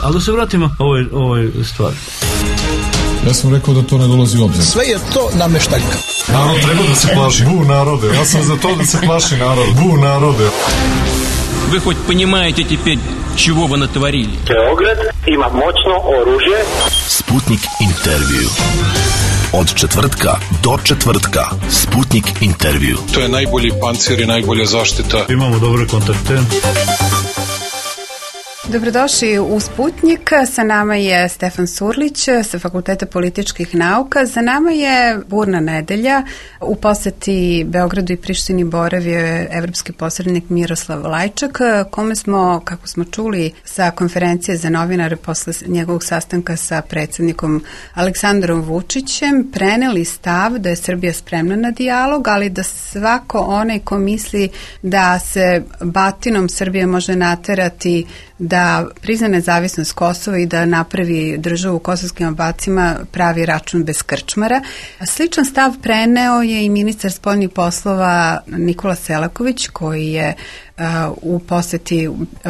Ali da se vratimo ovoj stvari. Ja sam rekao da to ne dolazi u obzir. Sve je to nameštaljka. Narod treba da se plaši. Bu narode. Ja sam za to da se plaši narod. Bu narode. Вы хоть понимаете теперь, чего вы натворили? Beograd ima moćno oružje. Sputnik intervju. Od četvrtka do četvrtka. Sputnik intervju. To je najbolji pancir i najbolja zaštita. Imamo dobre kontakte. Dobrodošli u Sputnik. Sa nama je Stefan Surlić sa Fakulteta političkih nauka. Za nama je burna nedelja. U poseti Beogradu i Prištini boravio je evropski posrednik Miroslav Lajčak, kome smo, kako smo čuli sa konferencije za novinare posle njegovog sastanka sa predsjednikom Aleksandrom Vučićem, preneli stav da je Srbija spremna na dijalog, ali da svako onaj ko misli da se batinom Srbije može naterati da prizna nezavisnost Kosova i da napravi državu u kosovskim obacima, pravi račun bez krčmara. Sličan stav preneo je i ministar spoljnih poslova Nikola Selaković, koji je u poseti,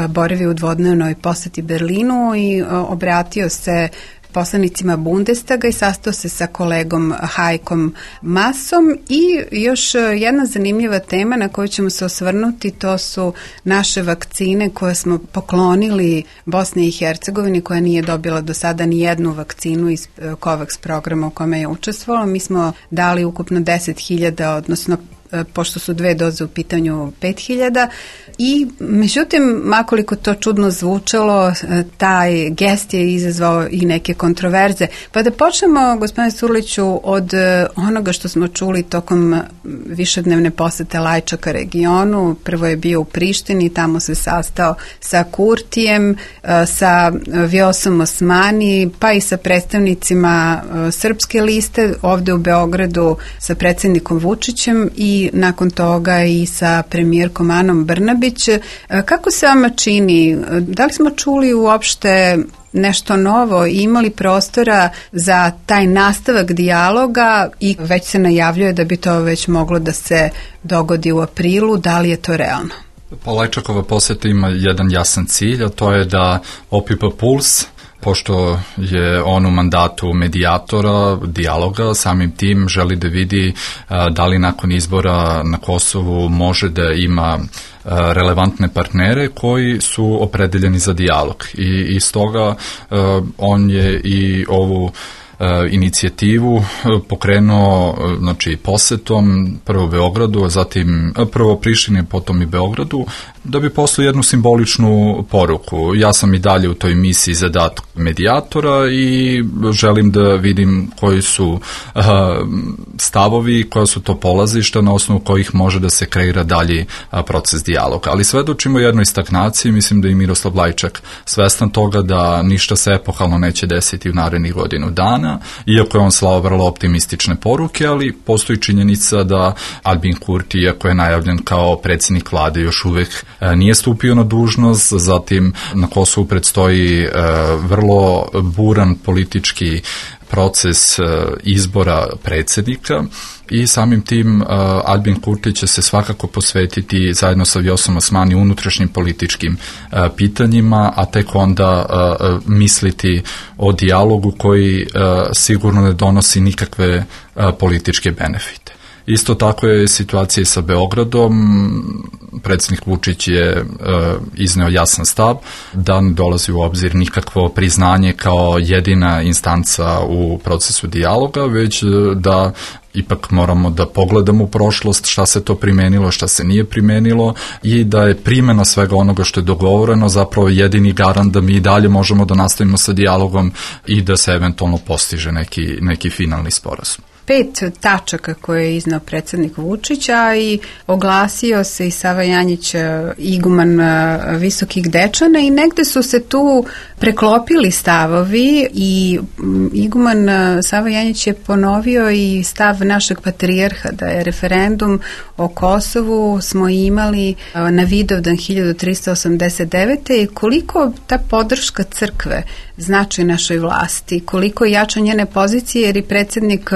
boravio u dvodnevnoj poseti Berlinu i obratio se poslanicima Bundestaga i sastao se sa kolegom Hajkom Masom. I još jedna zanimljiva tema na koju ćemo se osvrnuti, to su naše vakcine koje smo poklonili Bosni i Hercegovini, koja nije dobila do sada ni jednu vakcinu iz COVAX programa u kome je učestvovala. Mi smo dali ukupno 10.000, odnosno pošto su 2 doze u pitanju 5.000 i međutim, makoliko to čudno zvučalo, taj gest je izazvao i neke kontroverze. Pa da počnemo, gospodine Surliću, od onoga što smo čuli tokom višednevne posete Lajčaka regionu. Prvo je bio u Prištini, tamo se sastao sa Kurtijem, sa Vjosom Osmani, pa i sa predstavnicima Srpske liste, ovde u Beogradu sa predsjednikom Vučićem i nakon toga i sa premijerkom Anom Brnabić. Kako se vama čini? Da li smo čuli uopšte nešto novo i imali prostora za taj nastavak dijaloga i već se najavljuje da bi to već moglo da se dogodi u aprilu? Da li je to realno? Pa Lajčakova poseta ima jedan jasan cilj, a to je da opipa puls, pošto je on u mandatu medijatora, dijaloga, samim tim želi da vidi da li nakon izbora na Kosovu može da ima relevantne partnere koji su opredeljeni za dijalog. I iz toga on je i ovu inicijativu pokrenuo, znači, posetom prvo Beogradu, zatim prvo Prištini, potom i Beogradu, da bi poslao jednu simboličnu poruku. Ja sam i dalje u toj misiji zadatak medijatora i želim da vidim koji su stavovi, koja su to polazišta na osnovu kojih može da se kreira dalji proces dijaloga. Ali svedočimo jednoj stagnaciji, mislim da i Miroslav Lajčak svestan toga da ništa se epohalno neće desiti u narednih godinu dana, iako je on slao vrlo optimistične poruke, ali postoji činjenica da Albin Kurti, iako je najavljen kao predsjednik vlade, još uvek nije stupio na dužnost, zatim na Kosovu predstoji vrlo buran politički proces izbora predsjednika i samim tim Albin Kurti će se svakako posvetiti zajedno sa Vjosom Osmani unutrašnjim političkim pitanjima, a tek onda misliti o dijalogu koji sigurno ne donosi nikakve političke benefite. Isto tako je situacija i sa Beogradom. Predsjednik Vučić je izneo jasan stav da ne dolazi u obzir nikakvo priznanje kao jedina instanca u procesu dijaloga, već da ipak moramo da pogledamo u prošlost šta se to primenilo, šta se nije primenilo i da je primjena svega onoga što je dogovoreno zapravo jedini garant da mi i dalje možemo da nastavimo sa dijalogom i da se eventualno postiže neki finalni sporazum. 5 tačaka koje je iznao predsjednik Vučića i oglasio se i Sava Janjić, iguman Visokih Dečana, i negde su se tu preklopili stavovi i iguman Sava Janjić je ponovio i stav našeg patrijarha da je referendum o Kosovu smo imali na Vidovdan 1389. i koliko ta podrška crkve znači našoj vlasti, koliko jača njene pozicije, jer i predsjednik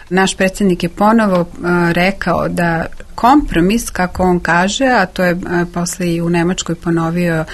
naš predsjednik je ponovo rekao da kompromis, kako on kaže, a to je posle i u Nemačkoj ponovio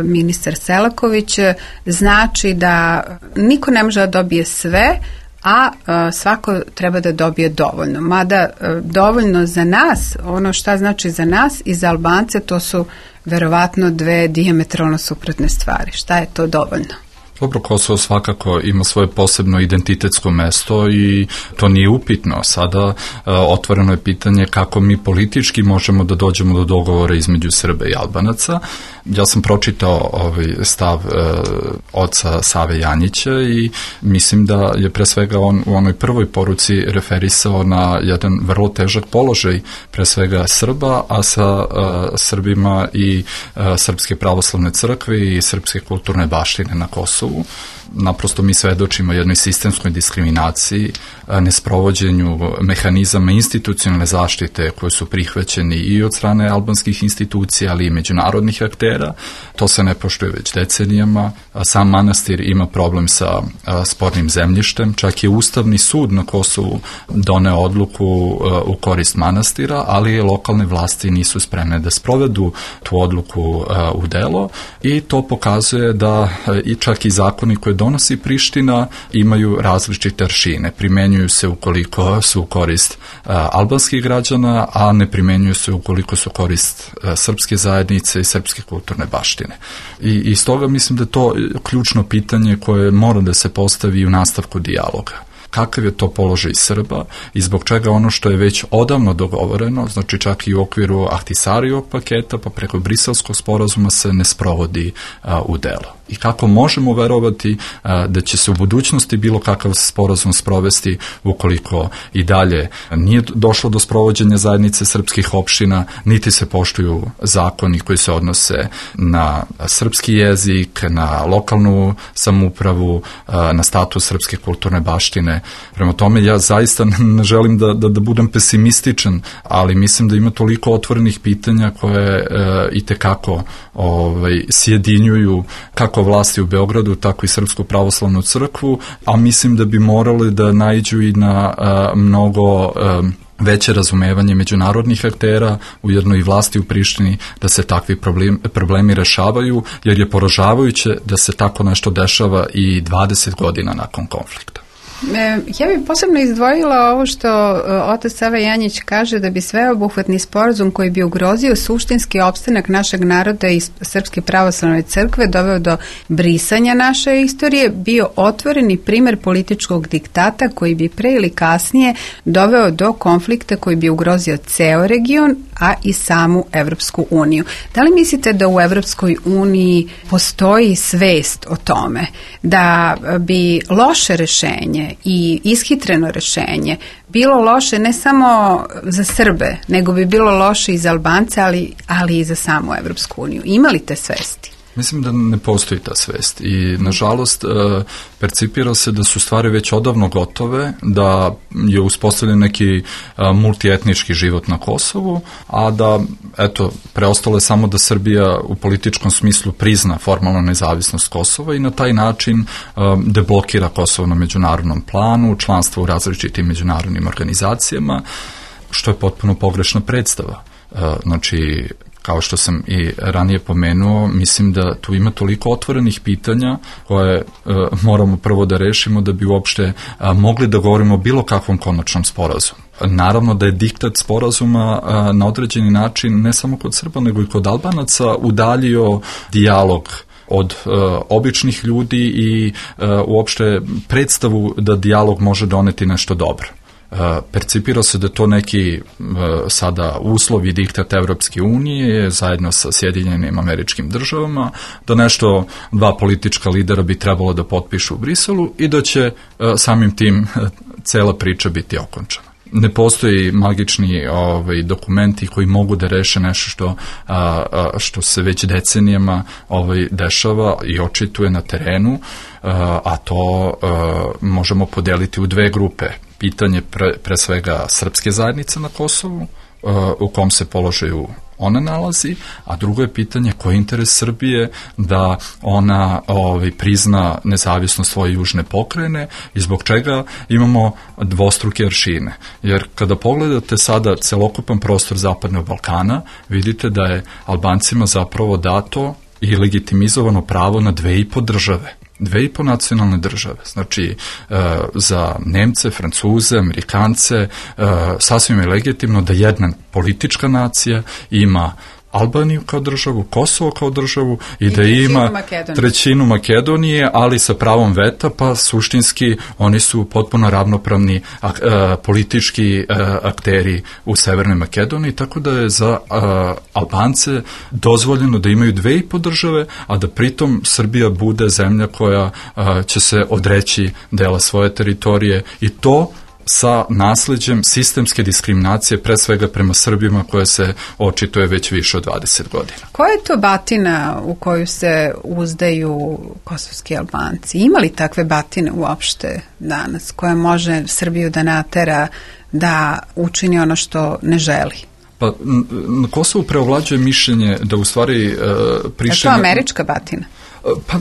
ministar Selaković, znači da niko ne može da dobije sve, a svako treba da dobije dovoljno. Mada dovoljno za nas, ono šta znači za nas i za Albance, to su verovatno dve dijametralno suprotne stvari. Šta je to dovoljno? Dobro, Kosovo svakako ima svoje posebno identitetsko mesto i to nije upitno. Sada otvoreno je pitanje kako mi politički možemo da dođemo do dogovora između Srba i Albanaca. Ja sam pročitao stav oca Save Janjića i mislim da je pre svega on u onoj prvoj poruci referisao na jedan vrlo težak položaj pre svega Srba, a sa Srbima i Srpske pravoslavne crkve i srpske kulturne baštine na Kosovu. Naprosto mi svedočimo jednoj sistemskoj diskriminaciji, nesprovođenju mehanizama institucionalne zaštite koje su prihvaćeni i od strane albanskih institucija, ali i međunarodnih aktera. To se ne poštuje već decenijama. Sam manastir ima problem sa spornim zemljištem. Čak je Ustavni sud na Kosovu doneo odluku u korist manastira, ali lokalne vlasti nisu spremne da sprovedu tu odluku u delo i to pokazuje da i čak i zakoni koje donosi Priština imaju različite aršine. Primenjuju se ukoliko su u korist albanskih građana, a ne primenjuju se ukoliko su u korist srpske zajednice i srpske kulturne baštine. I stoga mislim da je to ključno pitanje koje mora da se postavi u nastavku dijaloga. Kakav je to položaj Srba i zbog čega ono što je već odavno dogovoreno, znači čak i u okviru Ahtisarijevog paketa pa preko Briselskog sporazuma se ne sprovodi u delo. I kako možemo verovati da će se u budućnosti bilo kakav sporazum sprovesti ukoliko i dalje nije došlo do sprovođenja zajednice srpskih opština, niti se poštuju zakoni koji se odnose na srpski jezik, na lokalnu samoupravu, na status srpske kulturne baštine. Prema tome ja zaista ne želim da budem pesimističan, ali mislim da ima toliko otvorenih pitanja koje itekako sjedinjuju kako vlasti u Beogradu, tako i Srpsku pravoslavnu crkvu, a mislim da bi morali da naiđu i na mnogo veće razumevanje međunarodnih aktera, ujedno i vlasti u Prištini, da se takvi problemi rešavaju, jer je poražavajuće da se tako nešto dešava i 20 godina nakon konflikta. Ja bih posebno izdvojila ovo što otac Sava Janjić kaže da bi sveobuhvatni sporazum koji bi ugrozio suštinski opstanak našeg naroda i Srpske pravoslavne crkve doveo do brisanja naše istorije, bio otvoreni primer političkog diktata koji bi pre ili kasnije doveo do konflikta koji bi ugrozio ceo region, a i samu Evropsku uniju. Da li mislite da u Evropskoj uniji postoji svest o tome da bi loše rešenje i ishitreno rešenje bilo loše ne samo za Srbe, nego bi bilo loše i za Albance, ali i za samu Evropsku uniju? Ima li te svesti? Mislim da ne postoji ta svest i nažalost percipira se da su stvari već odavno gotove, da je uspostavljen neki multietnički život na Kosovu, a da preostalo je samo da Srbija u političkom smislu prizna formalnu nezavisnost Kosova i na taj način deblokira Kosovo na međunarodnom planu, članstvo u različitim međunarodnim organizacijama, što je potpuno pogrešna predstava. Znači, kao što sam i ranije pomenuo, mislim da tu ima toliko otvorenih pitanja koje moramo prvo da rešimo da bi uopšte mogli da govorimo o bilo kakvom konačnom sporazumu. Naravno da je diktat sporazuma na određeni način ne samo kod Srba nego i kod Albanaca udaljio dijalog od običnih ljudi i uopšte predstavu da dijalog može doneti nešto dobro. Percipira se da to neki sada uslov i diktat Evropske unije zajedno sa Sjedinjenim Američkim Državama, da nešto dva politička lidera bi trebalo da potpišu u Briselu i da će samim tim cela priča biti okončana. Ne postoji magični dokumenti koji mogu da reše nešto što se već decenijama dešava i očituje na terenu, a to možemo podeliti u dve grupe. Pitanje pre svega srpske zajednice na Kosovu, u kom se položaju ona nalazi, a drugo je pitanje koji je interes Srbije da ona prizna nezavisnost svoje južne pokrajine i zbog čega imamo dvostruke aršine. Jer kada pogledate sada celokupan prostor Zapadnog Balkana, vidite da je Albancima zapravo dato i legitimizovano pravo na 2,5 države. 2,5 nacionalne države. Znači, za Nemce, Francuze, Amerikance, sasvim je legitimno da jedna politička nacija ima Albaniju kao državu, Kosovo kao državu i da ima trećinu Makedonije, ali sa pravom veta, pa suštinski oni su potpuno ravnopravni politički akteri u Severnoj Makedoniji, tako da je za Albance dozvoljeno da imaju 2,5 države, a da pritom Srbija bude zemlja koja će se odreći dela svoje teritorije i to sa nasleđem sistemske diskriminacije, pre svega prema Srbima, koja se očituje već više od 20 godina. Koja je to batina u koju se uzdaju kosovski Albanci? Ima li takve batine uopšte danas, koja može Srbiju da natera da učini ono što ne želi? Pa na Kosovu preovlađuje mišljenje da u stvari Priština... Je to američka batina? Pa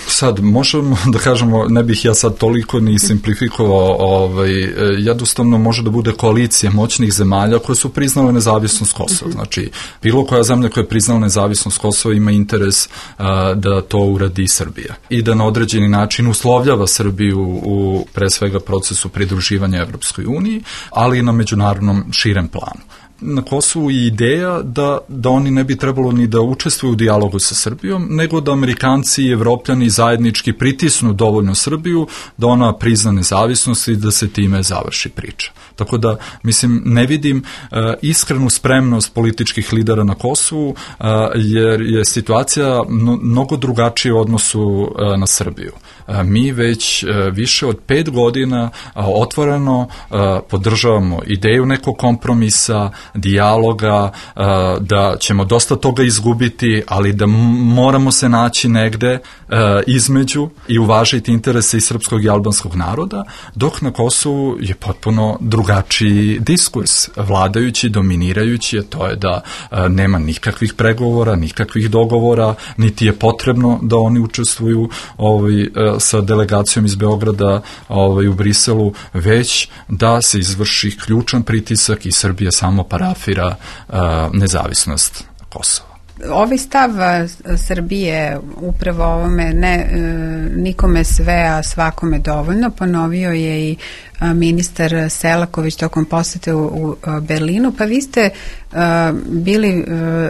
sad možemo da kažemo, ne bih ja sad toliko ni simplifikovao, jednostavno može da bude koalicija moćnih zemalja koje su priznale nezavisnost Kosova. Znači, bilo koja zemlja koja je priznala nezavisnost Kosova ima interes da to uradi Srbija i da na određeni način uslovljava Srbiju u pre svega procesu pridruživanja Evropskoj uniji, ali i na međunarodnom širem planu. Na Kosovu je ideja da oni ne bi trebalo ni da učestvuju u dijalogu sa Srbijom, nego da Amerikanci i Evropljani zajednički pritisnu dovoljno Srbiju da ona prizna nezavisnost i da se time završi priča. Tako da, mislim, ne vidim iskrenu spremnost političkih lidera na Kosovu, jer je situacija mnogo drugačija u odnosu na Srbiju. Mi već više od 5 godina otvoreno podržavamo ideju nekog kompromisa, dijaloga, da ćemo dosta toga izgubiti, ali da moramo se naći negde između i uvažiti interese i srpskog i albanskog naroda, dok na Kosovu je potpuno drugačiji diskurs, vladajući, dominirajući, a to je da nema nikakvih pregovora, nikakvih dogovora, niti je potrebno da oni učestvuju sa delegacijom iz Beograda u Briselu, već da se izvrši ključan pritisak i Srbija samo parafira nezavisnost Kosova. Ovaj stav Srbije upravo ovome nikome sve, a svakome dovoljno, ponovio je i ministar Selaković tokom posete u Berlinu, pa vi ste bili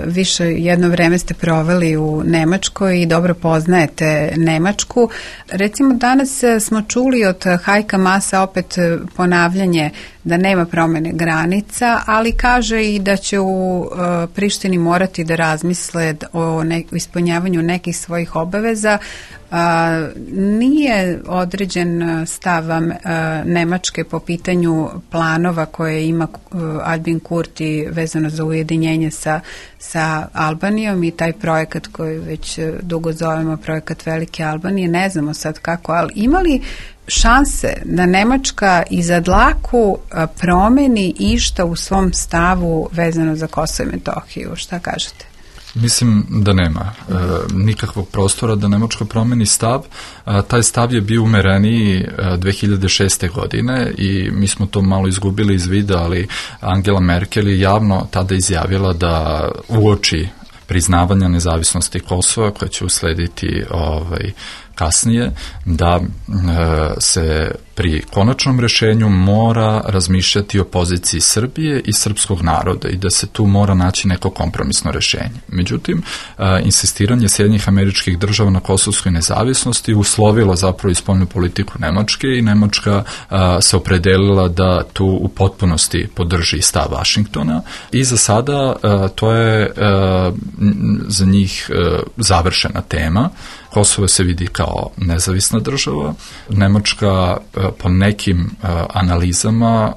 više, jedno vreme ste proveli u Nemačkoj i dobro poznajete Nemačku. Recimo danas smo čuli od Hajka Masa opet ponavljanje da nema promene granica, ali kaže i da će u Prištini morati da razmisle o ispunjavanju nekih svojih obaveza. Nije određen stav Nemačke po pitanju planova koje ima Albin Kurti vezano za ujedinjenje sa Albanijom i taj projekat koji već dugo zovemo projekat Velike Albanije, ne znamo sad kako, ali ima li šanse da Nemačka iza dlaku promeni išta u svom stavu vezano za Kosovo i Metohiju? Šta kažete? Mislim da nema nikakvog prostora da Nemačka promeni stav. Taj stav je bio umereniji 2006. godine i mi smo to malo izgubili iz vida, ali Angela Merkel je javno tada izjavila da uoči priznavanja nezavisnosti Kosova, koja će uslediti kasnije, da se pri konačnom rešenju mora razmišljati o poziciji Srbije i srpskog naroda i da se tu mora naći neko kompromisno rešenje. Međutim, insistiranje Sjedinjenih Američkih Država na kosovskoj nezavisnosti uslovilo zapravo i spoljnu politiku Nemačke i Nemačka se opredelila da tu u potpunosti podrži stav Vašingtona i za sada to je za njih završena tema. Kosovo se vidi kao nezavisna država. Nemačka po nekim analizama,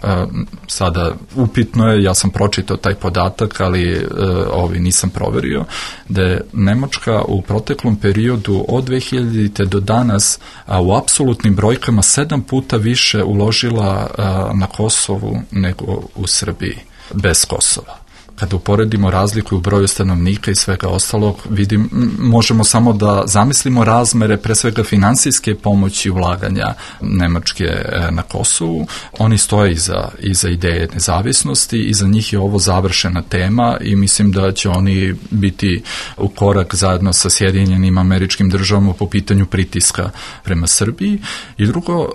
sada upitno je, ja sam pročitao taj podatak, ali nisam proverio, da je Nemačka u proteklom periodu od 2000. do danas u apsolutnim brojkama 7 puta više uložila na Kosovu nego u Srbiji. bez Kosova. Kada uporedimo razliku u broju stanovnika i svega ostalog, možemo samo da zamislimo razmere pre svega finansijske pomoći ulaganja Nemačke na Kosovu. Oni stoje iza ideje nezavisnosti i za njih je ovo završena tema i mislim da će oni biti u korak zajedno sa Sjedinjenim Američkim Državama po pitanju pritiska prema Srbiji. I drugo,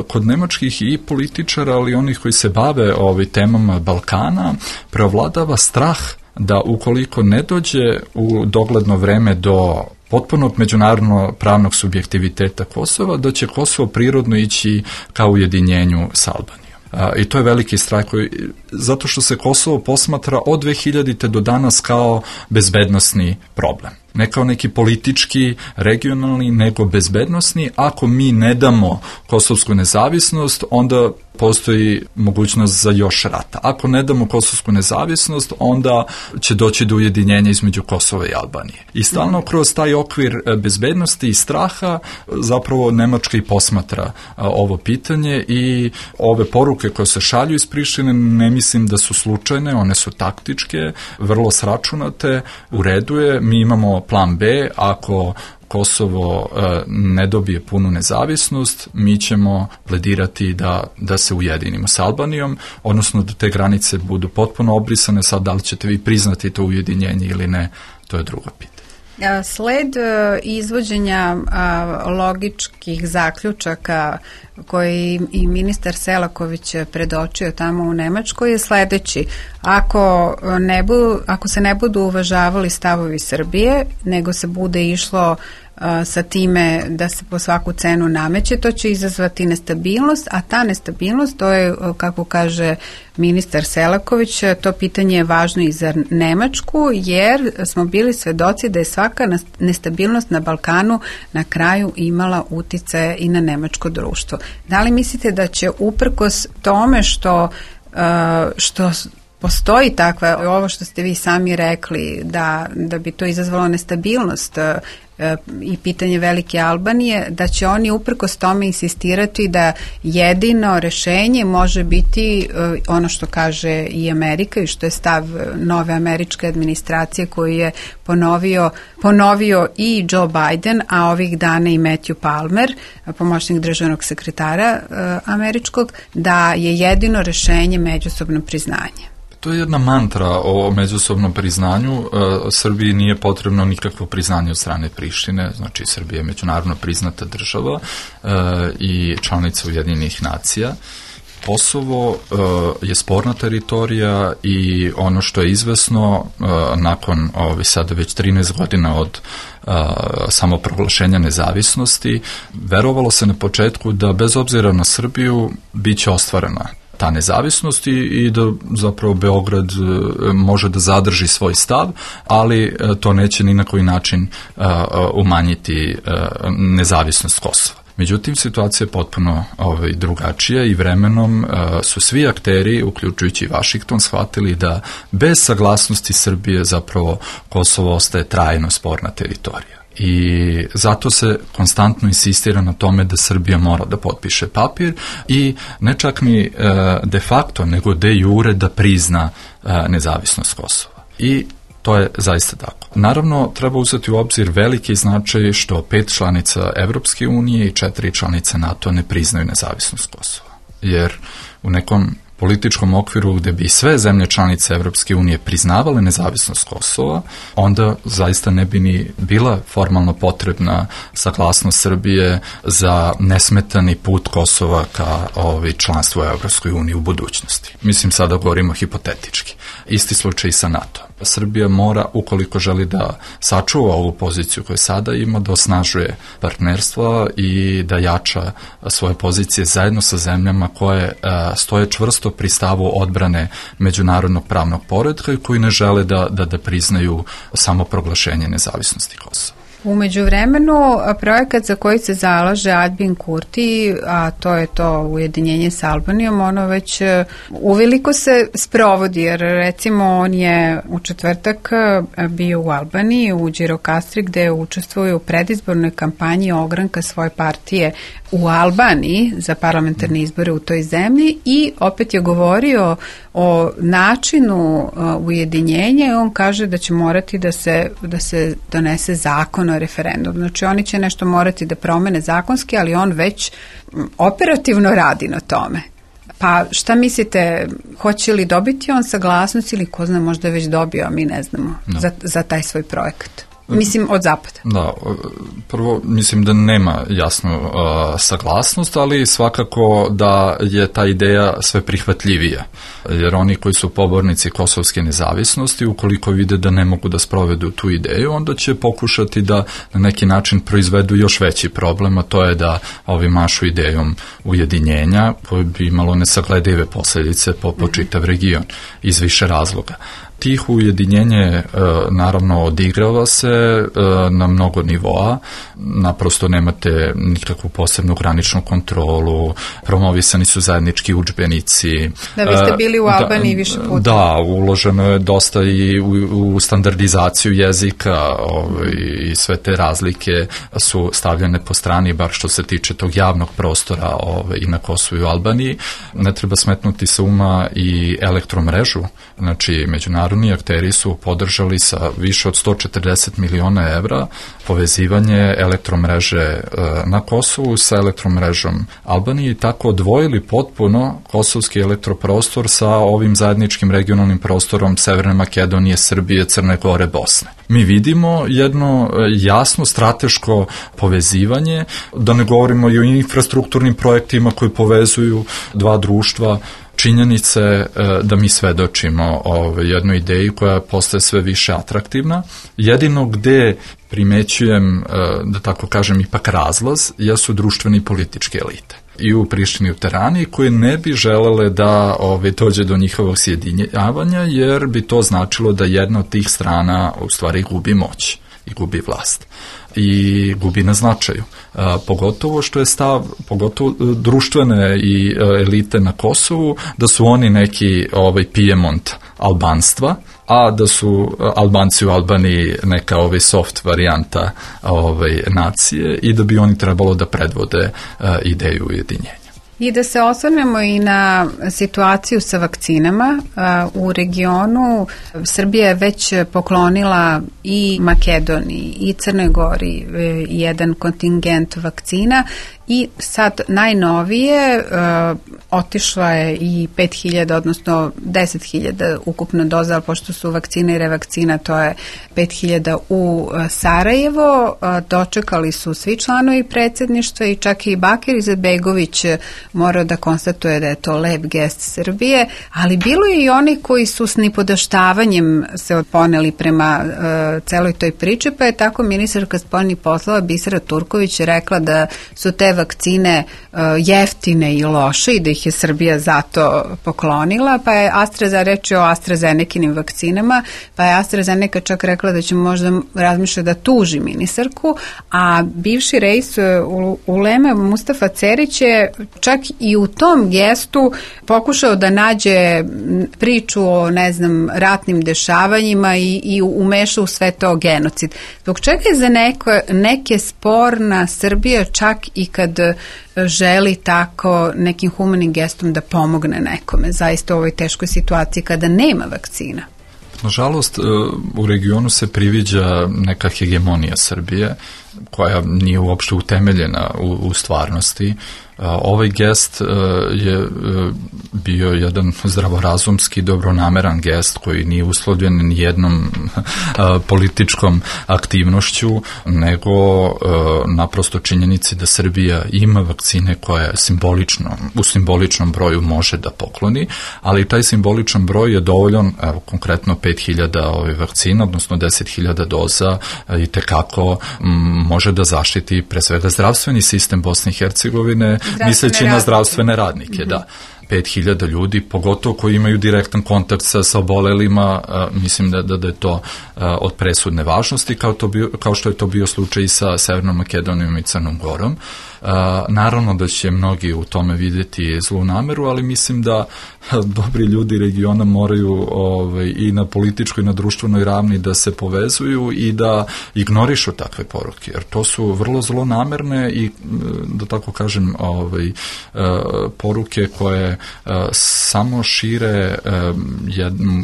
kod nemačkih i političara, ali onih koji se bave temama Balkana, preovladava strah da ukoliko ne dođe u dogledno vreme do potpunog međunarodno pravnog subjektiviteta Kosova, da će Kosovo prirodno ići ka ujedinjenju sa Albanijom. I to je veliki strah zato što se Kosovo posmatra od 2000. do danas kao bezbednosni problem. Ne kao neki politički, regionalni, nego bezbednosni. Ako mi ne damo kosovsku nezavisnost, onda postoji mogućnost za još rata. Ako ne damo kosovsku nezavisnost, onda će doći do ujedinjenja između Kosova i Albanije. I stalno kroz taj okvir bezbednosti i straha zapravo Nemačka i posmatra ovo pitanje i ove poruke koje se šalju iz Prištine ne mislim da su slučajne, one su taktičke, vrlo sračunate, u redu je, mi imamo plan B, ako Kosovo ne dobije punu nezavisnost, mi ćemo pledirati da se ujedinimo sa Albanijom, odnosno da te granice budu potpuno obrisane. Sad, da li ćete vi priznati to ujedinjenje ili ne, to je drugo pitanje. Sled izvođenja logičkih zaključaka koji i ministar Selaković predočio tamo u Nemačkoj je sledeći. Ako se ne budu uvažavali stavovi Srbije, nego se bude išlo sa time da se po svaku cenu nameće, to će izazvati nestabilnost, a ta nestabilnost, to je, kako kaže ministar Selaković, to pitanje je važno i za Nemačku, jer smo bili svedoci da je svaka nestabilnost na Balkanu na kraju imala uticaje i na nemačko društvo. Da li mislite da će uprkos tome što postoji takva, ovo što ste vi sami rekli, da bi to izazvalo nestabilnost i pitanje Velike Albanije, da će oni uprkos tome insistirati da jedino rešenje može biti ono što kaže i Amerika i što je stav nove američke administracije koju je ponovio i Joe Biden, a ovih dana i Matthew Palmer, pomoćnik državnog sekretara američkog, da je jedino rešenje međusobno priznanje. To je jedna mantra o međusobnom priznanju. Srbiji nije potrebno nikakvo priznanje od strane Prištine, znači Srbija je međunarodno priznata država i članica Ujedinjenih nacija. Kosovo je sporna teritorija i ono što je izvesno nakon sada već 13 godina od samoproglašenja nezavisnosti, verovalo se na početku da bez obzira na Srbiju biće ostvarena ta nezavisnost i da zapravo Beograd može da zadrži svoj stav, ali to neće ni na koji način umanjiti nezavisnost Kosova. Međutim, situacija je potpuno drugačija i vremenom su svi akteri, uključujući i Vašington, shvatili da bez saglasnosti Srbije zapravo Kosovo ostaje trajno sporna teritorija. I zato se konstantno insistira na tome da Srbija mora da potpiše papir i ne čak ni de facto, nego de jure da prizna nezavisnost Kosova. I to je zaista tako. Naravno, treba uzeti u obzir veliki značaj što 5 članica Evropske unije i 4 članice NATO ne priznaju nezavisnost Kosova. Jer u nekom političkom okviru gde bi sve zemlje članice Evropske unije priznavale nezavisnost Kosova, onda zaista ne bi ni bila formalno potrebna saglasnost Srbije za nesmetani put Kosova ka članstvu u Evropskoj uniji u budućnosti. Mislim, sada govorimo hipotetički. Isti slučaj i sa NATO. Srbija mora, ukoliko želi da sačuva ovu poziciju koju sada ima, da osnažuje partnerstva i da jača svoje pozicije zajedno sa zemljama koje stoje čvrsto pri stavu odbrane međunarodnog pravnog poretka i koji ne žele da priznaju samoproglašenje nezavisnosti Kosova. U međuvremenu, projekat za koji se zalaže Albin Kurti, a to je to ujedinjenje s Albanijom, ono već uveliko se sprovodi, jer recimo on je u četvrtak bio u Albaniji, u Đirokastri, gde učestvuje u predizbornoj kampanji ogranka svoje partije u Albaniji za parlamentarne izbore u toj zemlji i opet je govorio o načinu ujedinjenja i on kaže da će morati da se donese zakon o referendumu. Znači oni će nešto morati da promene zakonski, ali on već operativno radi na tome. Pa šta mislite, hoće li dobiti on saglasnost ili ko zna, možda je već dobio, a mi ne znamo za taj svoj projekat? Mislim, od zapada. Da, prvo mislim da nema jasnu saglasnost, ali svakako da je ta ideja sve prihvatljivija. Jer oni koji su pobornici kosovske nezavisnosti, ukoliko vide da ne mogu da sprovedu tu ideju, onda će pokušati da na neki način proizvedu još veći problem, a to je da ovi mašu idejom ujedinjenja koje bi imalo nesagledive posljedice po čitav region iz više razloga. Tih ujedinjenje naravno odigrava se na mnogo nivoa, naprosto nemate nikakvu posebnu graničnu kontrolu, promovisani su zajednički udžbenici. Da, vi ste bili u Albaniji više puta. Da, uloženo je dosta i u standardizaciju jezika i sve te razlike su stavljene po strani, bar što se tiče tog javnog prostora i na Kosovu i u Albaniji. Ne treba smetnuti sa uma i elektromrežu, znači međunarodni akteri su podržali sa više od 140 miliona evra povezivanje elektromreže na Kosovu sa elektromrežom Albanije i tako odvojili potpuno kosovski elektroprostor sa ovim zajedničkim regionalnim prostorom Severne Makedonije, Srbije, Crne Gore, Bosne. Mi vidimo jedno jasno strateško povezivanje, da ne govorimo i o infrastrukturnim projektima koji povezuju dva društva. Činjenice da mi svedočimo jednoj ideji koja postaje sve više atraktivna. Jedino gde primećujem, da tako kažem, ipak razlaz, jesu društveni i političke elite. I u Prištini i u Tirani, koje ne bi želele da dođe do njihovog sjedinjavanja, jer bi to značilo da jedna od tih strana u stvari gubi moć i gubi vlast i gubi na značaju. Pogotovo što je stav, pogotovo društvene i elite na Kosovu, da su oni neki Pijemont albanstva, a da su Albanci u Albaniji neka soft varijanta nacije i da bi oni trebalo da predvode ideju ujedinjenja. I da se osvrnemo i na situaciju sa vakcinama. U regionu Srbija je već poklonila i Makedoniji i Crnoj Gori jedan kontingent vakcina i sad najnovije otišla je i 5.000, odnosno 10.000 ukupno doza, ali pošto su vakcina i revakcina, to je 5.000 u Sarajevo. Dočekali su svi članovi predsjedništva i čak i Bakir Izetbegović morao da konstatuje da je to lep gest Srbije, ali bilo je i oni koji su s nipodaštavanjem se poneli prema celoj toj priči, pa je tako ministarka spoljnih poslova Bisera Turković rekla da su te vakcine jeftine i loše i da ih je Srbija zato poklonila, pa je reč o AstraZenekinim vakcinama, pa je AstraZeneca čak rekla da će možda razmišljati da tuži ministarku, a bivši reis Uleme Mustafa Cerić je čak i u tom gestu pokušao da nađe priču o, ratnim dešavanjima i umešao u sve to genocid. Zbog čega je za neke sporna Srbija čak i kad želi tako nekim humanim gestom da pomogne nekome, zaista u ovoj teškoj situaciji kada nema vakcina? Nažalost, u regionu se priviđa neka hegemonija Srbije koja nije uopšte utemeljena u stvarnosti. Ovaj gest je bio jedan zdravorazumski, dobronameran gest koji nije uslovljen ni jednom političkom aktivnošću, nego naprosto činjenici da Srbija ima vakcine koje u simboličnom broju može da pokloni, ali taj simboličan broj je dovoljan, konkretno 5.000 vakcina, odnosno 10.000 doza i tekako može da zaštiti pre svega zdravstveni sistem Bosne i Hercegovine, misleći na zdravstvene radnike, da. 5.000 ljudi, pogotovo koji imaju direktan kontakt sa obolelima, mislim da je to od presudne važnosti, kao što je to bio slučaj i sa Severnom Makedonijom i Crnom Gorom. Naravno da će mnogi u tome vidjeti zlu nameru, ali mislim da dobri ljudi regiona moraju i na političkoj i na društvenoj ravni da se povezuju i da ignorišu takve poruke, jer to su vrlo zlonamerne i, da tako kažem, poruke koje samo šire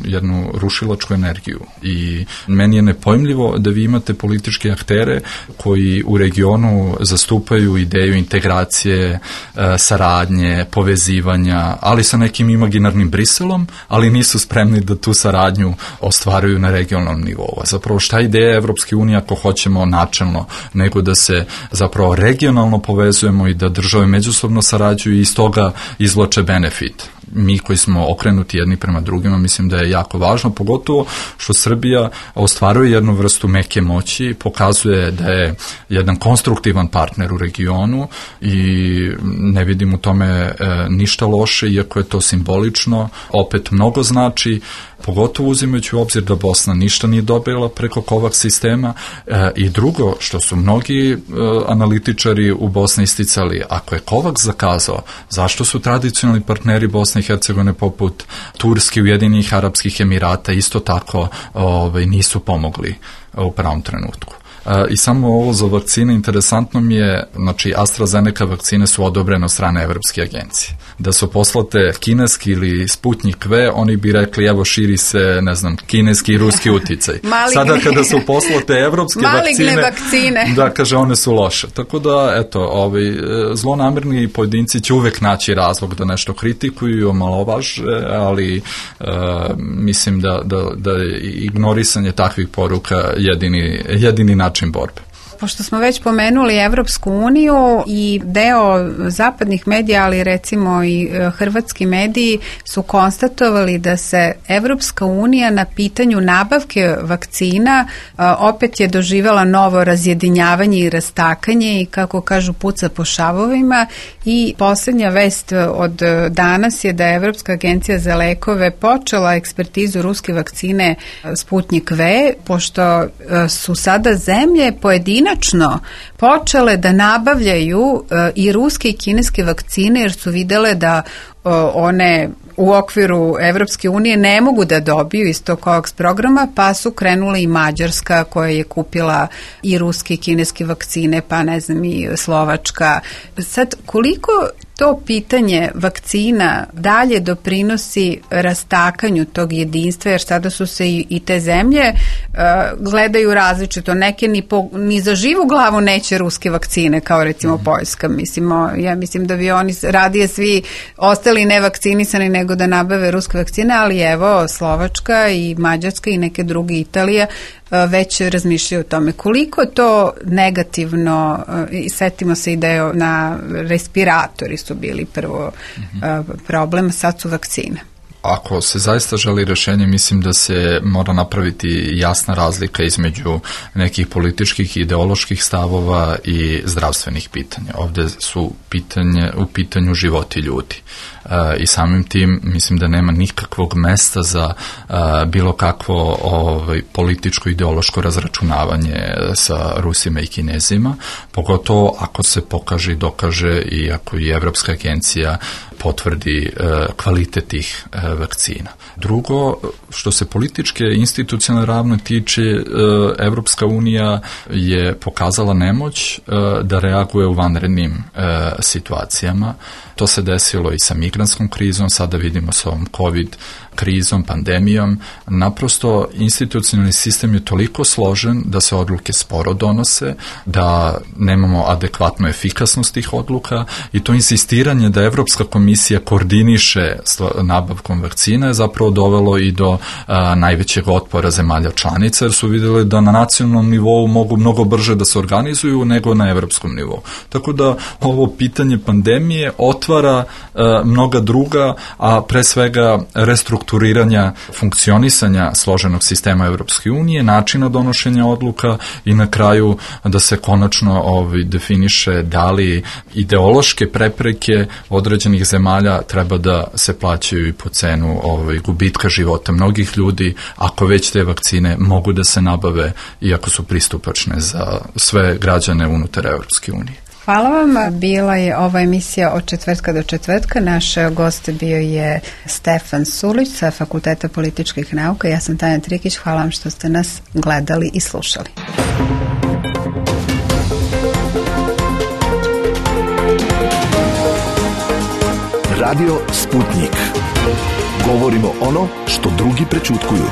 jednu rušilačku energiju. I meni je nepojmljivo da vi imate političke aktere koji u regionu zastupaju ideju integracije, saradnje, povezivanja, ali sa nekim imaginarnim Briselom, ali nisu spremni da tu saradnju ostvaruju na regionalnom nivou. Zapravo šta je ideja Evropske unije ako hoćemo načelno, nego da se zapravo regionalno povezujemo i da države međusobno sarađuju i iz toga izvlače benefit. Mi koji smo okrenuti jedni prema drugima, mislim da je jako važno, pogotovo što Srbija ostvaruje jednu vrstu meke moći, pokazuje da je jedan konstruktivan partner u regionu i ne vidim u tome ništa loše, iako je to simbolično, opet mnogo znači, pogotovo uzimajući u obzir da Bosna ništa nije dobila preko COVAX sistema i drugo, što su mnogi analitičari u Bosni isticali, ako je COVAX zakazao, zašto su tradicionalni partneri Bosne i Hercegovine poput Turske, Ujedinjenih Arapskih Emirata isto tako nisu pomogli u pravom trenutku. I samo ovo za vakcine, interesantno mi je, znači AstraZeneca vakcine su odobrene od strane Evropske agencije. Da su poslate kineski ili Sputnik V, oni bi rekli evo širi se, ne znam, kineski i ruski uticaj. Sada kada su poslate evropske vakcine, da kaže one su loše. Tako da, eto, zlonamerni pojedinci će uvek naći razlog da nešto kritikuju i omalovaže, ali mislim da je ignorisanje takvih poruka jedini način borbe. Pošto smo već pomenuli Evropsku uniju i deo zapadnih medija, ali recimo i hrvatski mediji su konstatovali da se Evropska unija na pitanju nabavke vakcina opet je doživjela novo razjedinjavanje i rastakanje i, kako kažu, puca po šavovima. I posljednja vest od danas je da je Evropska agencija za lekove počela ekspertizu ruske vakcine Sputnik V, pošto su sada zemlje pojedinačno počele da nabavljaju i ruske i kineske vakcine, jer su videle da one u okviru Evropske unije ne mogu da dobiju iz tog COVAX programa, pa su krenule i Mađarska koja je kupila i ruske i kineske vakcine, pa ne znam i Slovačka. Sad, koliko to pitanje vakcina dalje doprinosi rastakanju tog jedinstva, jer sada su se i te zemlje gledaju različito. Neke ni za živu glavu neće ruske vakcine, kao recimo Poljska. Ja mislim da bi oni radije svi ostali nevakcinisani nego da nabave ruske vakcine, ali evo Slovačka i Mađarska i neke druge, Italija, već razmišljaju o tome. Koliko to negativno, setimo se i da je na respiratori su bili prvo problem, sad su vakcine. Ako se zaista želi rješenje, mislim da se mora napraviti jasna razlika između nekih političkih i ideoloških stavova i zdravstvenih pitanja. Ovdje su u pitanju životi ljudi. I samim tim mislim da nema nikakvog mesta za bilo kakvo političko ideološko razračunavanje sa Rusima i Kinezima, pogotovo ako se pokaže i dokaže i ako i Evropska agencija potvrdi kvalitet tih vakcina. Drugo, što se političke institucionalne ravno tiče, Evropska unija je pokazala nemoć da reaguje u vanrednim situacijama. To se desilo i sa migrantskom krizom, sada vidimo sa ovom COVID krizom, pandemijom. Naprosto institucionalni sistem je toliko složen da se odluke sporo donose, da nemamo adekvatnu efikasnost tih odluka i to insistiranje da Evropska komisija koordiniše nabavkom vakcina je zapravo dovelo i do najvećeg otpora zemalja članica, jer su vidjeli da na nacionalnom nivou mogu mnogo brže da se organizuju nego na evropskom nivou. Tako da ovo pitanje pandemije otvara mnoga druga, a pre svega restrukturiranja funkcionisanja složenog sistema Evropske unije, načina donošenja odluka i na kraju da se konačno definiše da li ideološke prepreke određenih zemalja treba da se plaćaju i po cenu gubitka života mnogih ljudi, ako već te vakcine mogu da se nabave iako su pristupačne za sve građane unutar Evropske unije. Hvala vam. Bila je ova emisija od četvrtka do četvrtka. Naš gost bio je Stefan Surlić sa Fakulteta političkih nauka. Ja sam Tanja Trikić. Hvala vam što ste nas gledali i slušali. Radio Sputnik. Govorimo ono što drugi prećutkuju.